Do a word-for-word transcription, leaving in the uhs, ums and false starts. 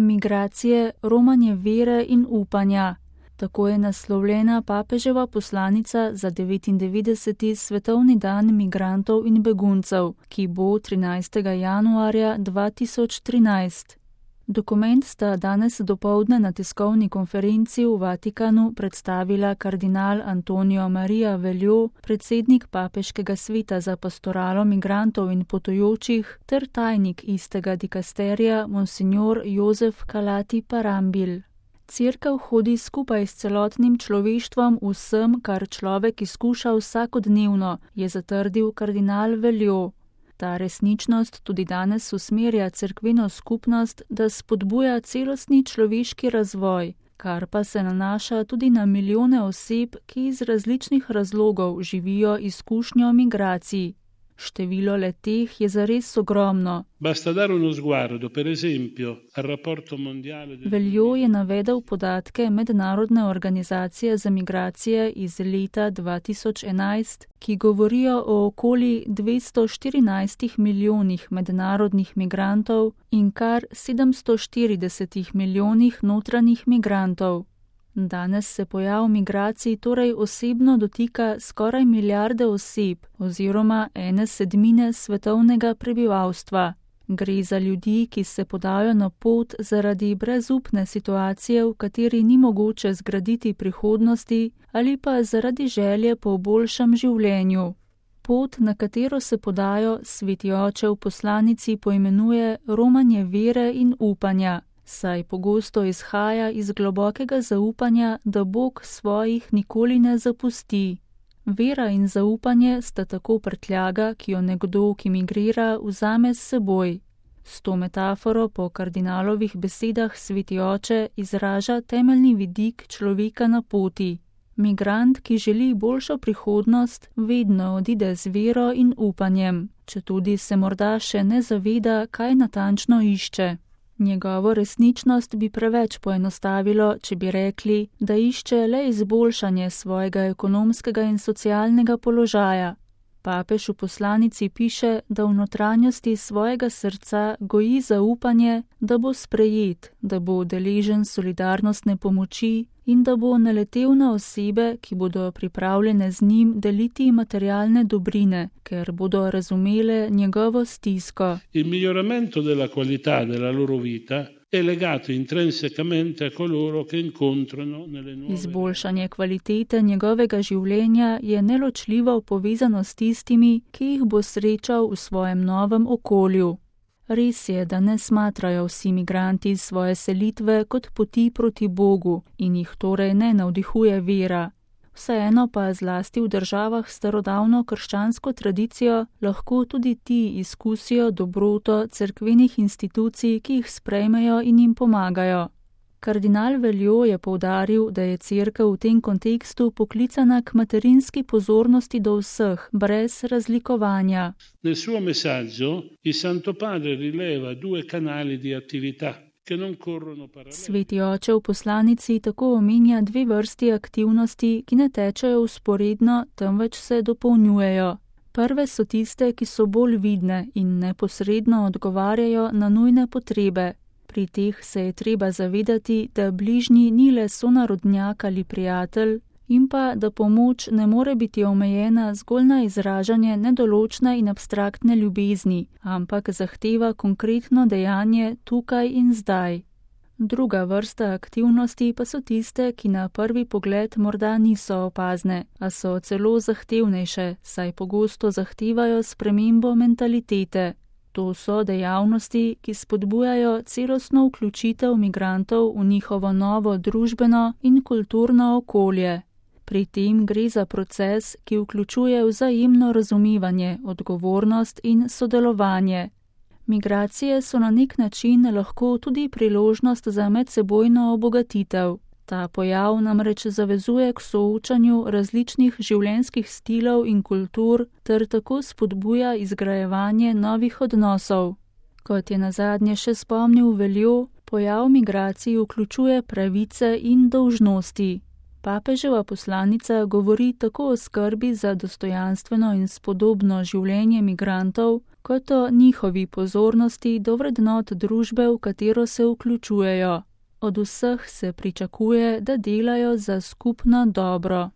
Migracije, romanje vere in upanja. Tako je naslovljena papeževa poslanica za devetindevetdeseti svetovni dan migrantov in beguncev, ki bo trinajstega januarja dva tisoč trinajst. Dokument sta danes dopoldne na tiskovni konferenci v Vatikanu predstavila kardinal Antonio Maria Veljo, predsednik papeškega sveta za pastoralo migrantov in potujočih, ter tajnik istega dikasterija monsignor Jozef Kalati Parambil. Cerkev hodi skupaj s celotnim človeštvom vsem, kar človek izkuša vsakodnevno, je zatrdil kardinal Veljo. Ta resničnost tudi danes usmerja cerkveno skupnost, da spodbuja celostni človeški razvoj, kar pa se nanaša tudi na milijone oseb, ki iz različnih razlogov živijo izkušnjo migracij. Število le-teh je zares ogromno. Veljo je navedel podatke Mednarodne organizacije za migracije iz leta dva tisoč enajst, ki govorijo o okoli dvesto štirinajstih milijonih mednarodnih migrantov in kar sedemsto štiridesetih milijonih notranjih migrantov. Danes se pojav migracij torej osebno dotika skoraj milijarde oseb oziroma ene sedmine svetovnega prebivalstva. Gre za ljudi, ki se podajo na pot zaradi brezupne situacije, v kateri ni mogoče zgraditi prihodnosti, ali pa zaradi želje po boljšem življenju. Pot, na katero se podajo, Sveti oče v poslanici poimenuje romanje vere in upanja, saj pogosto izhaja iz globokega zaupanja, da Bog svojih nikoli ne zapusti. Vera in zaupanje sta tako prtljaga, ki jo nekdo, ki migrira, vzame s seboj. S to metaforo po kardinalovih besedah Sveti oče izraža temeljni vidik človeka na poti. Migrant, ki želi boljšo prihodnost, vedno odide z vero in upanjem, četudi se morda še ne zaveda, kaj natančno išče. Njegovo resničnost bi preveč poenostavilo, če bi rekli, da išče le izboljšanje svojega ekonomskega in socialnega položaja. Papež v poslanici piše, da v notranjosti svojega srca goji zaupanje, da bo sprejet, da bo deležen solidarnostne pomoči in da bo naletel na osebe, ki bodo pripravljene z njim deliti materialne dobrine, ker bodo razumele njegovo stisko. Il miglioramento della qualità della loro vita è legato intrinsecamente a coloro che incontrano nelle nuove. Izboljšanje kvalitete njegovega življenja je neločljivo povezano s tistimi, ki jih bo srečal v svojem novem okolju. Res je, da ne smatrajo vsi migranti svoje selitve kot poti proti Bogu in jih torej ne navdihuje vera. Vseeno pa zlasti v državah s starodavno krščansko tradicijo lahko tudi ti izkusijo dobroto cerkvenih institucij, ki jih sprejmejo in jim pomagajo. Kardinal Veljo je poudaril, da je cerkev v tem kontekstu poklicana k materinski pozornosti do vseh, brez razlikovanja. Nel suo messaggio il Santo Padre rileva due canali di attività che non corrono parallelamente. Sveti oče v poslanici tako omenja dve vrsti aktivnosti, ki ne tečejo vzporedno, temveč se dopolnjujejo. Prve so tiste, ki so bolj vidne in neposredno odgovarjajo na nujne potrebe. Pri teh se je treba zavedati, da bližnji ni le sonarodnjak ali prijatelj in pa, da pomoč ne more biti omejena zgolj na izražanje nedoločne in abstraktne ljubezni, ampak zahteva konkretno dejanje tukaj in zdaj. Druga vrsta aktivnosti pa so tiste, ki na prvi pogled morda niso opazne, a so celo zahtevnejše, saj pogosto zahtevajo spremembo mentalitete. To so dejavnosti, ki spodbujajo celostno vključitev migrantov v njihovo novo družbeno in kulturno okolje. Pri tem gre za proces, ki vključuje vzajemno razumevanje, odgovornost in sodelovanje. Migracije so na nek način lahko tudi priložnost za medsebojno obogatitev. Ta pojav namreč zavezuje k soočanju različnih življenjskih stilov in kultur ter tako spodbuja izgrajevanje novih odnosov. Kot je nazadnje še spomnil Veljo, pojav migracij vključuje pravice in dolžnosti. Papeževa poslanica govori tako o skrbi za dostojanstveno in spodobno življenje migrantov, kot o njihovi pozornosti do vrednot družbe, v katero se vključujejo. Od vseh se pričakuje, da delajo za skupno dobro.